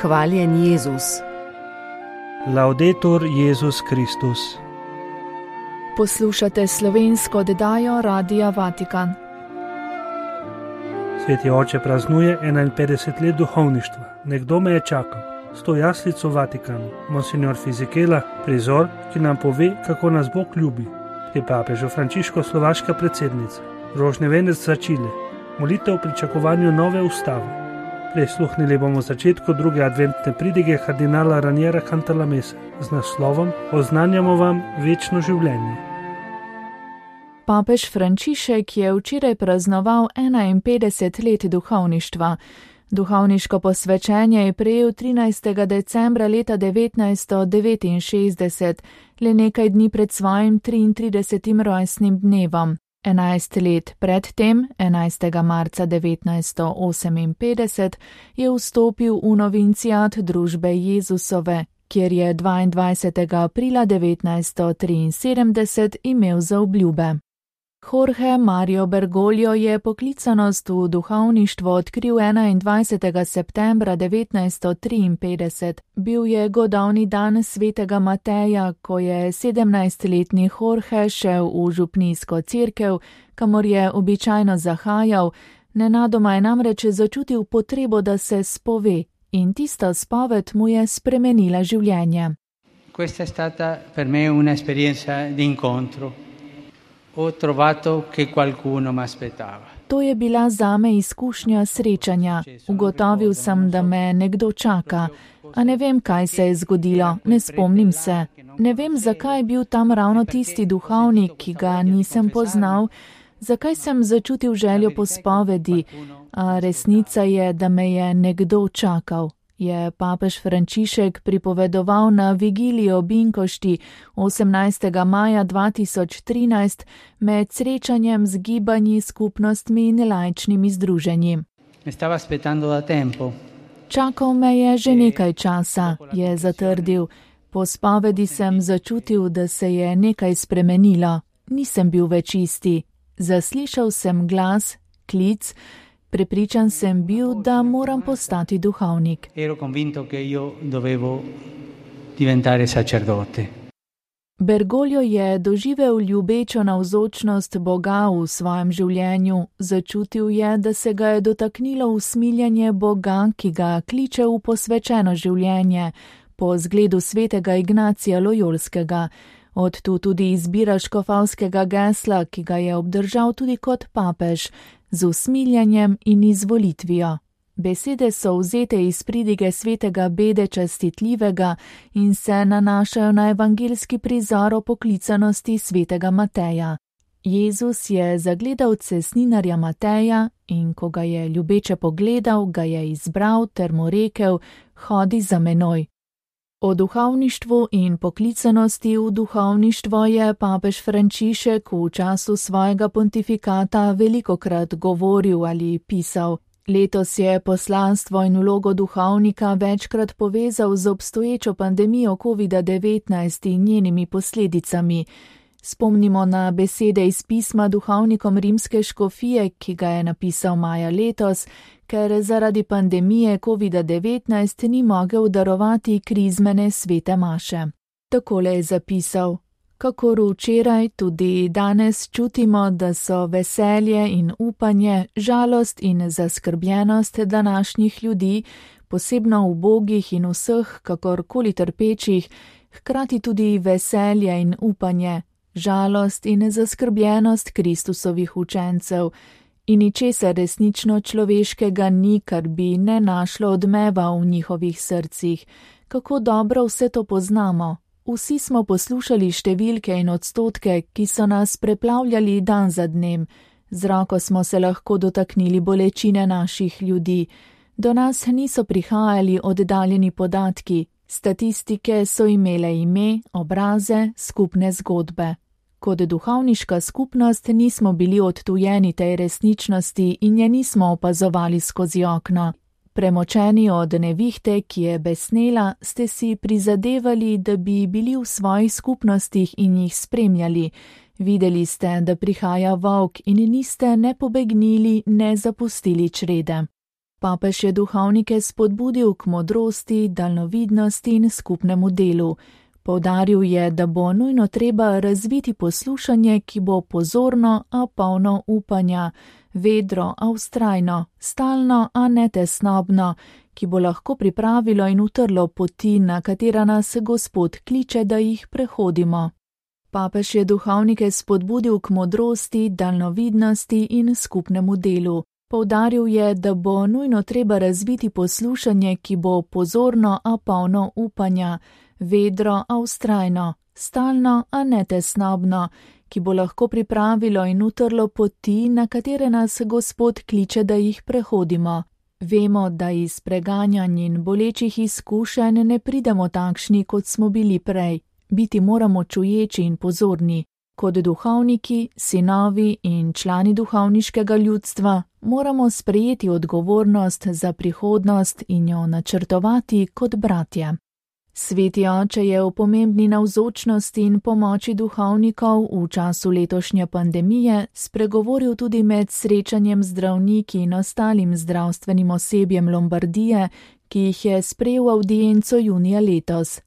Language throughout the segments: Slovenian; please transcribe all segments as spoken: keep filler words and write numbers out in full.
Hvaljen Jezus. Laudetur Jezus Kristus. Poslušate slovensko oddajo Radia Vatikan. Sveti oče praznuje enainpetdeset let duhovništva. Nekdo me je čakal. Sto jaslic v Vatikanu. Monsignor Fizikela, prizor, ki nam pove, kako nas Bog ljubi. Pri papežu Frančišku slovaška predsednica. Rožni venec za Čile. Molitev v pričakovanju nove ustave. Prisluhnili bomo začetku druge adventne pridige kardinala Raniera Cantalamessa z naslovom Oznanjamo vam večno življenje. Papež Frančišek je včeraj praznoval enainpetdeset let duhovništva. Duhovniško posvečenje je prejel trinajstega decembra leta devetnajststo devetinšestdeset, le nekaj dni pred svojim triintridesetim rojstnim dnevom. Enajst let predtem, enajstega marca devetnajststo oseminpetdeset, je vstopil v novinciat družbe Jezusove, kjer je dvaindvajsetega aprila devetnajststo triinsedemdeset imel zaobljube. Jorge Mario Bergoglio je poklicanost v duhovništvo odkril enaindvajsetega septembra devetnajststo triinpetdeset. Bil je godovni dan svetega Mateja, ko je sedemnajstletni Jorge šel v župnijsko cerkev, kamor je običajno zahajal, nenadoma je namreč začutil potrebo, da se spove, in tista spoved mu je spremenila življenje. Questa è stata per me un'esperienza di incontro. Ho trovato che qualcuno mi aspettava. To je bila zame izkušnja srečanja. Ugotovil sem, da me nekdo čaka. A ne vem, kaj se je zgodilo, ne spomnim se. Ne vem, zakaj je bil tam ravno tisti duhovnik, ki ga nisem poznal, zakaj sem začutil željo po spovedi, a resnica je, da me je nekdo čakal. Je papež Frančišek pripovedoval na vigiliji ob Inkošti osemnajstega maja dva tisoč trinajst med srečanjem z gibanji, skupnostmi in laičnimi združenji. Čakal me je že nekaj časa, je zatrdil. Po spovedi sem začutil, da se je nekaj spremenilo. Nisem bil več isti. Zaslišal sem glas, klic. Prepričan sem bil, da moram postati duhovnik. Ero convinto che io dovevo diventare sacerdote. Bergoglio je doživel ljubečo navzočnost Boga v svojem življenju. Začutil je, da se ga je dotaknilo usmiljanje Boga, ki ga kliče v posvečeno življenje, po zgledu svetega Ignacija Lojolskega. Od tu tudi izbira škofovskega gesla, ki ga je obdržal tudi kot papež, z usmiljanjem in izvolitvijo. Besede so vzete iz pridige svetega Bede Častitljivega in se nanašajo na evangeljski prizor o poklicanosti svetega Mateja. Jezus je zagledal cestninarja Mateja in ko ga je ljubeče pogledal, ga je izbral ter mu rekel: hodi za menoj. O duhovništvu in poklicanosti v duhovništvo je papež Frančišek v času svojega pontifikata velikokrat govoril ali pisal. Letos je poslanstvo in vlogo duhovnika večkrat povezal z obstoječo pandemijo kovida devetnajst in njenimi posledicami. Spomnimo na besede iz pisma duhovnikom rimske škofije, ki ga je napisal maja letos, ker zaradi pandemije kovida devetnajst ni mogel darovati krizmene svete maše. Takole je zapisal: kakor včeraj, tudi danes čutimo, da so veselje in upanje, žalost in zaskrbljenost današnjih ljudi, posebno ubogih in vseh, kakorkoli trpečih, hkrati tudi veselje in upanje, žalost in zaskrbljenost Kristusovih učencev. In ničesar resnično človeškega ni, kar bi ne našlo odmeva v njihovih srcih. Kako dobro vse to poznamo. Vsi smo poslušali številke in odstotke, ki so nas preplavljali dan za dnem. Z roko smo se lahko dotaknili bolečine naših ljudi. Do nas niso prihajali oddaljeni podatki. Statistike so imele ime, obraze, skupne zgodbe. Kot duhovniška skupnost nismo bili odtujeni tej resničnosti in je nismo opazovali skozi okno. Premočeni od nevihte, ki je besnela, ste si prizadevali, da bi bili v svojih skupnostih in jih spremljali. Videli ste, da prihaja volk in niste ne pobegnili, ne zapustili črede. Papež je duhovnike spodbudil k modrosti, daljnovidnosti in skupnemu delu. Poudaril je, da bo nujno treba razviti poslušanje, ki bo pozorno, a polno upanja, vedro, a vztrajno, stalno, a ne tesnobno, ki bo lahko pripravilo in utrlo poti, na katera nas Gospod kliče, da jih prehodimo. Papež je duhovnike spodbudil k modrosti, daljnovidnosti in skupnemu delu. Poudaril je, da bo nujno treba razviti poslušanje, ki bo pozorno, a polno upanja, vedro, a vztrajno, stalno, a ne tesnobno, ki bo lahko pripravilo in utrlo poti, na katere nas Gospod kliče, da jih prehodimo. Vemo, da iz preganjanj in bolečih izkušenj ne pridemo takšni, kot smo bili prej. Biti moramo čuječi in pozorni. Kot duhovniki, sinovi in člani duhovniškega ljudstva moramo sprejeti odgovornost za prihodnost in jo načrtovati kot bratje. Sveti oče je o pomembni navzočnosti in pomoči duhovnikov v času letošnje pandemije spregovoril tudi med srečanjem zdravniki in ostalim zdravstvenim osebjem Lombardije, ki jih je sprejel v audienco junija letos.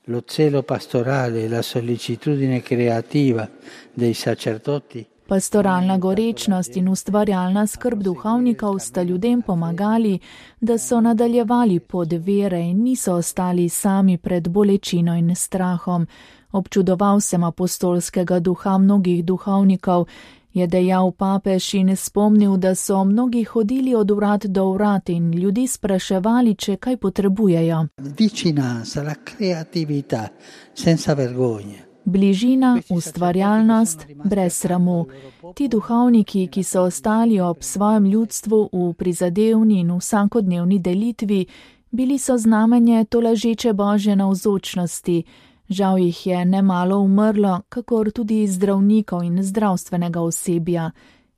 Lo zelo pastorale e la sollecitudine creativa dei sacerdoti. Pastoralna gorečnost in ustvarjalna skrb duhovnikov sta ljudem pomagali, da so nadaljevali pot vere in niso ostali sami pred bolečino in strahom. Občudoval sem apostolskega duha mnogih duhovnikov, je dejal papež in spomnil, da so mnogi hodili od vrat do vrat in ljudi spraševali, če kaj potrebujejo. Vicinanza, la creatività, senza vergogna. Bližina, ustvarjalnost, brez sramu. Ti duhovniki, ki so ostali ob svojem ljudstvu v prizadevni in vsakodnevni delitvi, bili so znamenje tolažeče Božje navzočnosti. Žal jih je nemalo umrlo, kakor tudi zdravnikov in zdravstvenega osebja.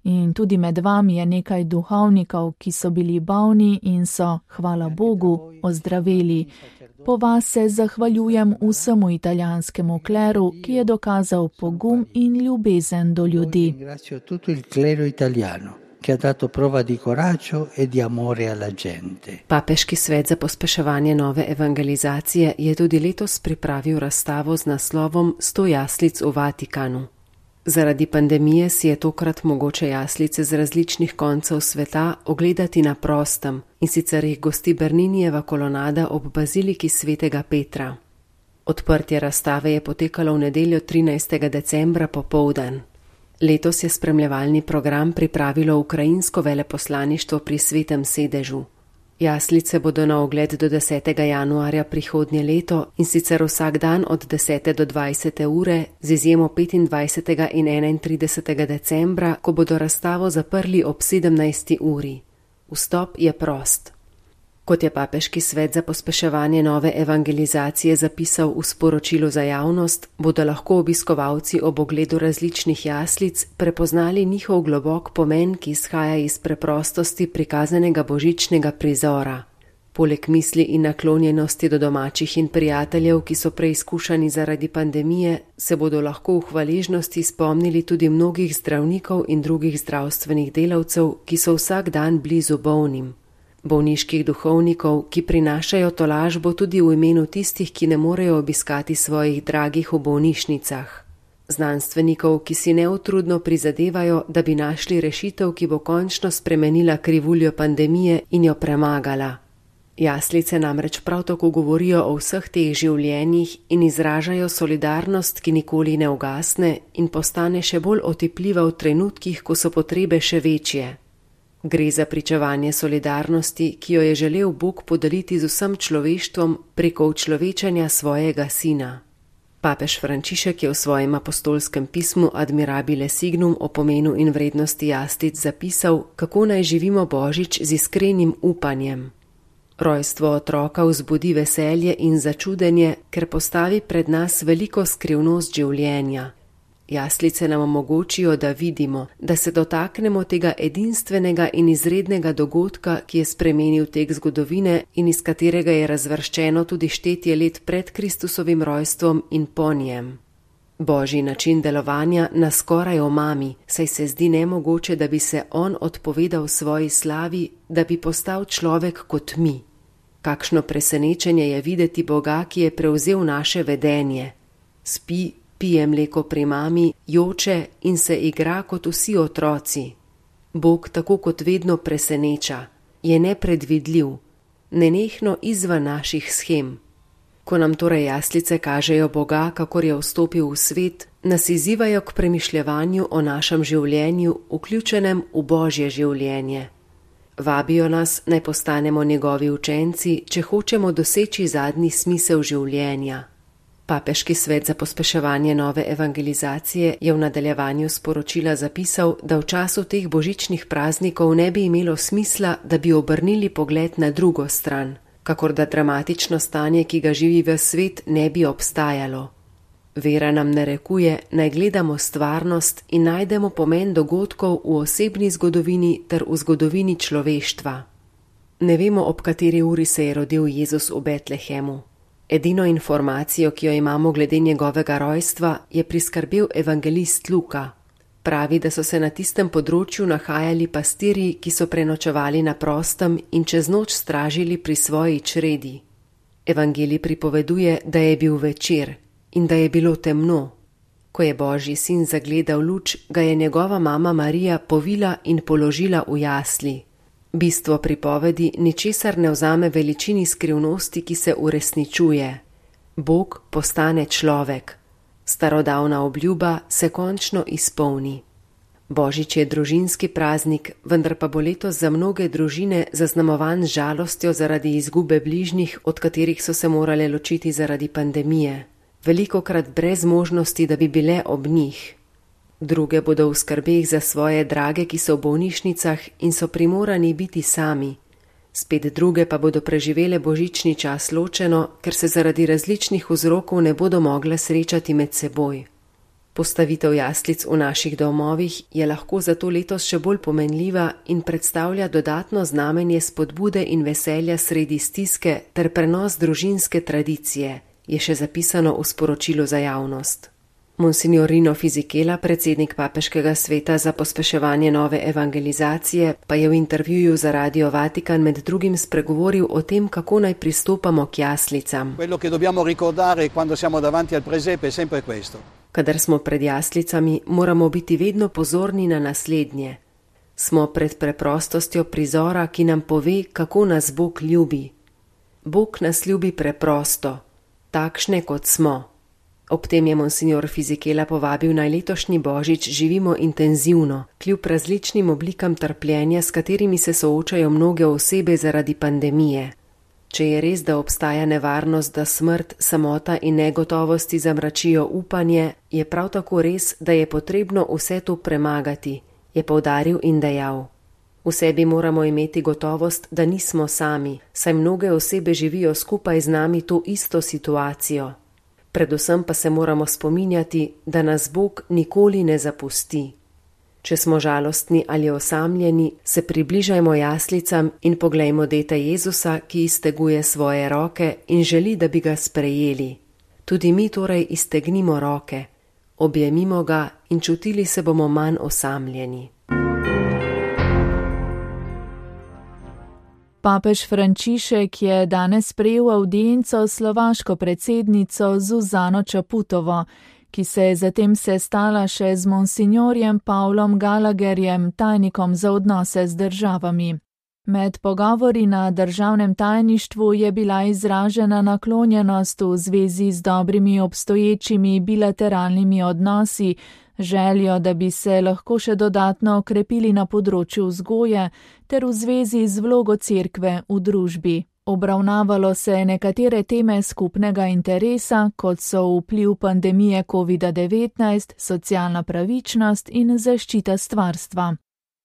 In tudi med vami je nekaj duhovnikov, ki so bili bolni in so, hvala Bogu, ozdraveli. Po vas se zahvaljujem vsemu italijanskemu kleru, ki je dokazal pogum in ljubezen do ljudi. Che ha dato prova di coraggio e di amore alla gente. Papeški svet za pospeševanje nove evangelizacije je tudi letos pripravil razstavo z naslovom Sto jaslic v Vatikanu. Zaradi pandemije si je tokrat mogoče jaslice z različnih koncev sveta ogledati na prostem, in sicer jih gosti Berninijeva kolonada ob baziliki svetega Petra. Odprtje razstave je potekalo v nedeljo trinajstega decembra popoldan. Letos je spremljevalni program pripravilo ukrajinsko veleposlaništvo pri Svetem sedežu. Jaslice bodo na ogled do desetega januarja prihodnje leto, in sicer vsak dan od desete do dvajsete ure, z izjemo petindvajsetega in enaintridesetega decembra, ko bodo razstavo zaprli ob sedemnajsti uri. Vstop je prost. Kot je Papeški svet za pospeševanje nove evangelizacije zapisal v sporočilu za javnost, bodo lahko obiskovalci ob ogledu različnih jaslic prepoznali njihov globok pomen, ki izhaja iz preprostosti prikazanega božičnega prizora. Poleg misli in naklonjenosti do domačih in prijateljev, ki so preizkušani zaradi pandemije, se bodo lahko v hvaležnosti spomnili tudi mnogih zdravnikov in drugih zdravstvenih delavcev, ki so vsak dan blizu bolnim. Bolniških duhovnikov, ki prinašajo tolažbo tudi v imenu tistih, ki ne morejo obiskati svojih dragih v bolnišnicah. Znanstvenikov, ki si neutrudno prizadevajo, da bi našli rešitev, ki bo končno spremenila krivuljo pandemije in jo premagala. Jaslice namreč prav tako govorijo o vseh teh življenjih in izražajo solidarnost, ki nikoli ne ugasne in postane še bolj otipljiva v trenutkih, ko so potrebe še večje. Gre za pričevanje solidarnosti, ki jo je želel Bog podeliti z vsem človeštvom preko učlovečanja svojega sina. Papež Frančišek je v svojem apostolskem pismu Admirabile Signum o pomenu in vrednosti jaslic zapisal, kako naj živimo Božič z iskrenim upanjem. Rojstvo otroka vzbudi veselje in začudenje, ker postavi pred nas veliko skrivnost življenja. Jaslice nam omogočijo, da vidimo, da se dotaknemo tega edinstvenega in izrednega dogodka, ki je spremenil tek zgodovine in iz katerega je razvrščeno tudi štetje let pred Kristusovim rojstvom in po njem. Božji način delovanja nas skoraj omami, saj se zdi nemogoče, da bi se on odpovedal svoji slavi, da bi postal človek kot mi. Kakšno presenečenje je videti Boga, ki je prevzel naše vedenje. Spi, pije mleko pri mami, joče in se igra kot vsi otroci. Bog tako kot vedno preseneča, je nepredvidljiv, nenehno izven naših shem. Ko nam torej jaslice kažejo Boga, kakor je vstopil v svet, nas izzivajo k premišljevanju o našem življenju, vključenem v Božje življenje. Vabijo nas, naj postanemo njegovi učenci, če hočemo doseči zadnji smisel življenja. Papeški svet za pospeševanje nove evangelizacije je v nadaljevanju sporočila zapisal, da v času teh božičnih praznikov ne bi imelo smisla, da bi obrnili pogled na drugo stran, kakor da dramatično stanje, ki ga živi ves svet, ne bi obstajalo. Vera nam narekuje, naj gledamo stvarnost in najdemo pomen dogodkov v osebni zgodovini ter v zgodovini človeštva. Ne vemo, ob kateri uri se je rodil Jezus v Betlehemu. Edino informacijo, ki jo imamo glede njegovega rojstva, je priskrbel evangelist Luka. Pravi, da so se na tistem področju nahajali pastirji, ki so prenočevali na prostem in čez noč stražili pri svoji čredi. Evangelij pripoveduje, da je bil večer in da je bilo temno. Ko je Božji sin zagledal luč, ga je njegova mama Marija povila in položila v jasli. Bistvo pripovedi ničesar ne vzame veličini skrivnosti, ki se uresničuje. Bog postane človek. Starodavna obljuba se končno izpolni. Božič je družinski praznik, vendar pa bo letos za mnoge družine zaznamovan z žalostjo zaradi izgube bližnjih, od katerih so se morale ločiti zaradi pandemije. Velikokrat brez možnosti, da bi bile ob njih. Druge bodo v skrbeh za svoje drage, ki so v bolnišnicah in so primorani biti sami. Spet druge pa bodo preživele božični čas ločeno, ker se zaradi različnih vzrokov ne bodo mogle srečati med seboj. Postavitev jaslic v naših domovih je lahko zato letos še bolj pomenljiva in predstavlja dodatno znamenje spodbude in veselja sredi stiske ter prenos družinske tradicije, je še zapisano v sporočilu za javnost. Monsignor Rino Fisichella, predsednik Papeškega sveta za pospeševanje nove evangelizacije, pa je v intervjuju za Radio Vatikan med drugim spregovoril o tem, kako naj pristopamo k jaslicam. Kadar smo pred jaslicami, moramo biti vedno pozorni na naslednje. Smo pred preprostostjo prizora, ki nam pove, kako nas Bog ljubi. Bog nas ljubi preprosto, takšne kot smo. Ob tem je monsignor Fisichella povabil naj letošnji božič živimo intenzivno, kljub različnim oblikam trpljenja, s katerimi se soočajo mnoge osebe zaradi pandemije. Če je res, da obstaja nevarnost, da smrt, samota in negotovosti zamračijo upanje, je prav tako res, da je potrebno vse to premagati, je poudaril in dejal. V sebi moramo imeti gotovost, da nismo sami, saj mnoge osebe živijo skupaj z nami to isto situacijo. Predvsem pa se moramo spominjati, da nas Bog nikoli ne zapusti. Če smo žalostni ali osamljeni, se približajmo jaslicam in poglejmo dete Jezusa, ki izteguje svoje roke in želi, da bi ga sprejeli. Tudi mi torej iztegnimo roke, objemimo ga in čutili se bomo manj osamljeni. Papež Frančišek je danes sprejel avdienco s slovaško predsednico Zuzano Čaputovo, ki se je zatem sestala še z monsignorjem Pavlom Gallagherjem, tajnikom za odnose z državami. Med pogovori na državnem tajništvu je bila izražena naklonjenost v zvezi z dobrimi obstoječimi bilateralnimi odnosi, željo, da bi se lahko še dodatno okrepili na področju vzgoje ter v zvezi z vlogo cerkve v družbi. Obravnavalo se je nekatere teme skupnega interesa, kot so vpliv pandemije covid devetnajst, socialna pravičnost in zaščita stvarstva.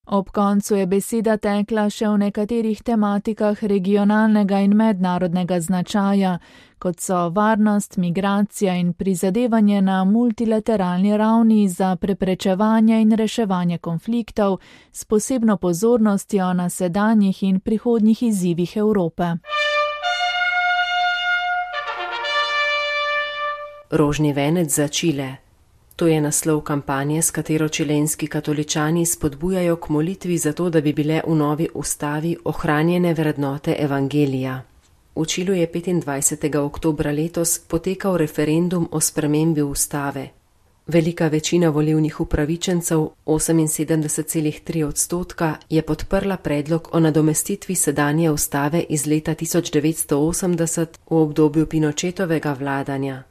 Ob koncu je beseda tekla še v nekaterih tematikah regionalnega in mednarodnega značaja, kot so varnost, migracija in prizadevanje na multilateralni ravni za preprečevanje in reševanje konfliktov s posebno pozornostjo na sedanjih in prihodnjih izzivih Evrope. Rožni venec za Čile. To je naslov kampanje, s katero čilenski katoličani spodbujajo k molitvi za to, da bi bile v novi ustavi ohranjene vrednote evangelija. V Čilu je petindvajsetega oktobra letos potekal referendum o spremembi ustave. Velika večina volilnih upravičencev, oseminsedemdeset celih tri odstotka, je podprla predlog o nadomestitvi sedanje ustave iz leta tisoč devetsto osemdeset v obdobju Pinochetovega vladanja.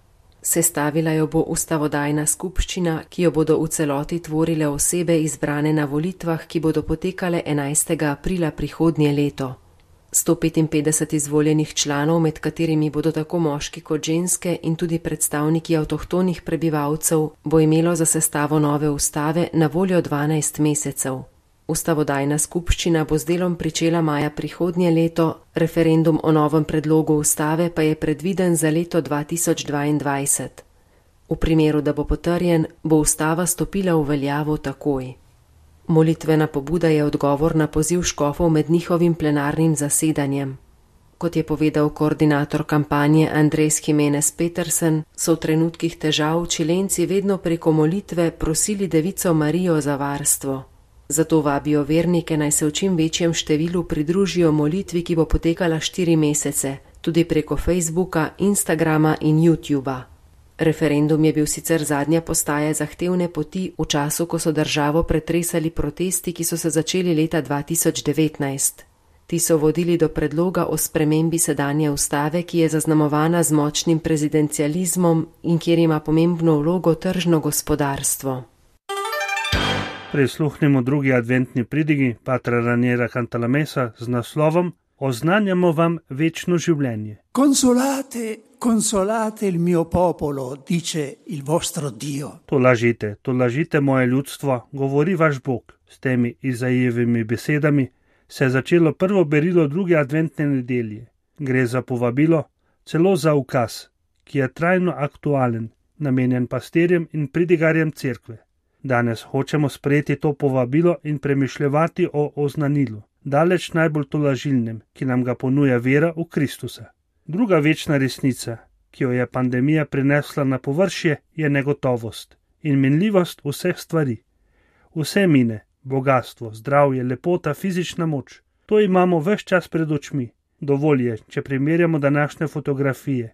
Sestavila jo bo ustavodajna skupščina, ki jo bodo v celoti tvorile osebe izbrane na volitvah, ki bodo potekale enajstega aprila prihodnje leto. sto petinpetdeset izvoljenih članov, med katerimi bodo tako moški kot ženske in tudi predstavniki avtohtonih prebivalcev, bo imelo za sestavo nove ustave na voljo dvanajst mesecev. Ustavodajna skupščina bo z delom pričela maja prihodnje leto, referendum o novem predlogu ustave pa je predviden za leto dva tisoč dvaindvajset. V primeru, da bo potrjen, bo ustava stopila v veljavo takoj. Molitvena pobuda je odgovor na poziv škofov med njihovim plenarnim zasedanjem. Kot je povedal koordinator kampanje Andres Jimenez Petersen, so v trenutkih težav Čilenci vedno preko molitve prosili Devico Marijo za varstvo. Zato vabijo vernike, naj se v čim večjem številu pridružijo molitvi, ki bo potekala štiri mesece, tudi preko Facebooka, Instagrama in YouTuba. Referendum je bil sicer zadnja postaja zahtevne poti v času, ko so državo pretresali protesti, ki so se začeli leta dva tisoč devetnajst. Ti so vodili do predloga o spremembi sedanje ustave, ki je zaznamovana z močnim prezidencializmom in kjer ima pomembno vlogo tržno gospodarstvo. Prisluhnimo drugi adventni pridigi Patra Raniera Cantalamessa z naslovom Oznanjamo vam večno življenje. Consolate, consolate il mio popolo, dice il vostro Dio. To lažite, to lažite moje ljudstvo, govori vaš Bog. S temi Izajevimi besedami se je začelo prvo berilo druge adventne nedelje. Gre za povabilo, celo za ukaz, ki je trajno aktualen, namenjen pastirjem in pridigarjem cerkve. Danes hočemo sprejeti to povabilo in premišljevati o oznanilu, daleč najbolj tolažilnem, ki nam ga ponuja vera v Kristusa. Druga večna resnica, ki jo je pandemija prinesla na površje, je negotovost in minljivost vseh stvari. Vse mine, bogastvo, zdravje, lepota, fizična moč. To imamo ves čas pred očmi. Dovolj je, če primerjamo današnje fotografije,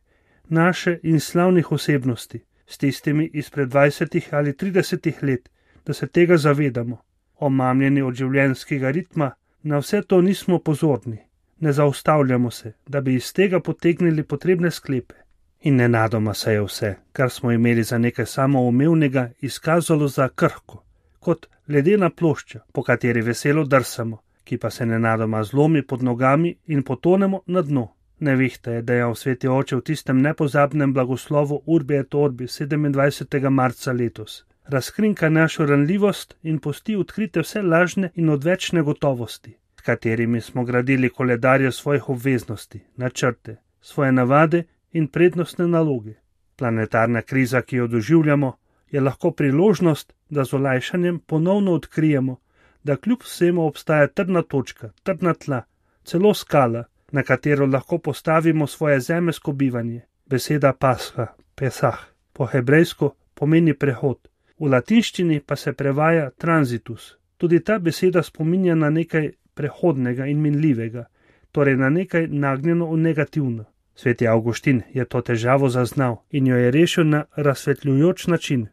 naše in slavnih osebnosti, s tistimi izpred dvajsetih ali tridesetih let, da se tega zavedamo. Omamljeni od življenjskega ritma, na vse to nismo pozorni. Ne zaustavljamo se, da bi iz tega potegnili potrebne sklepe. In nenadoma se je vse, kar smo imeli za nekaj samoumevnega, izkazalo za krhko, kot ledena plošča, po kateri veselo drsamo, ki pa se nenadoma zlomi pod nogami in potonemo na dno. Nevihta je dejal sveti oče v tistem nepozabnem blagoslovu Urbi et Orbi sedemindvajsetega marca letos. Razkrinka našo ranljivost in pusti odkrite vse lažne in odvečne gotovosti, s katerimi smo gradili koledarje svojih obveznosti, načrte, svoje navade in prednostne naloge. Planetarna kriza, ki jo doživljamo, je lahko priložnost, da z olajšanjem ponovno odkrijemo, da kljub vsemu obstaja trdna točka, trdna tla, celo skala, na katero lahko postavimo svoje zemeljsko bivanje. Beseda pasha, pesah, po hebrejsko pomeni prehod, v latinščini pa se prevaja transitus. Tudi ta beseda spominja na nekaj prehodnega in minljivega, torej na nekaj nagnjeno v negativno. Sveti Avguštin je to težavo zaznal in jo je rešil na razsvetljujoč način.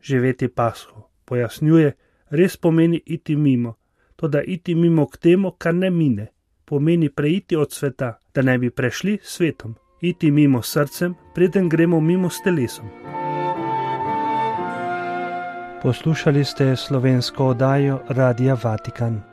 Živeti pasho, pojasnjuje, res pomeni iti mimo, toda iti mimo k temu, kar ne mine. Pomeni preiti od sveta, da ne bi prešli svetom, iti mimo srcem, preden gremo mimo s telesom. Poslušali ste slovensko oddajo Radia Vatikan.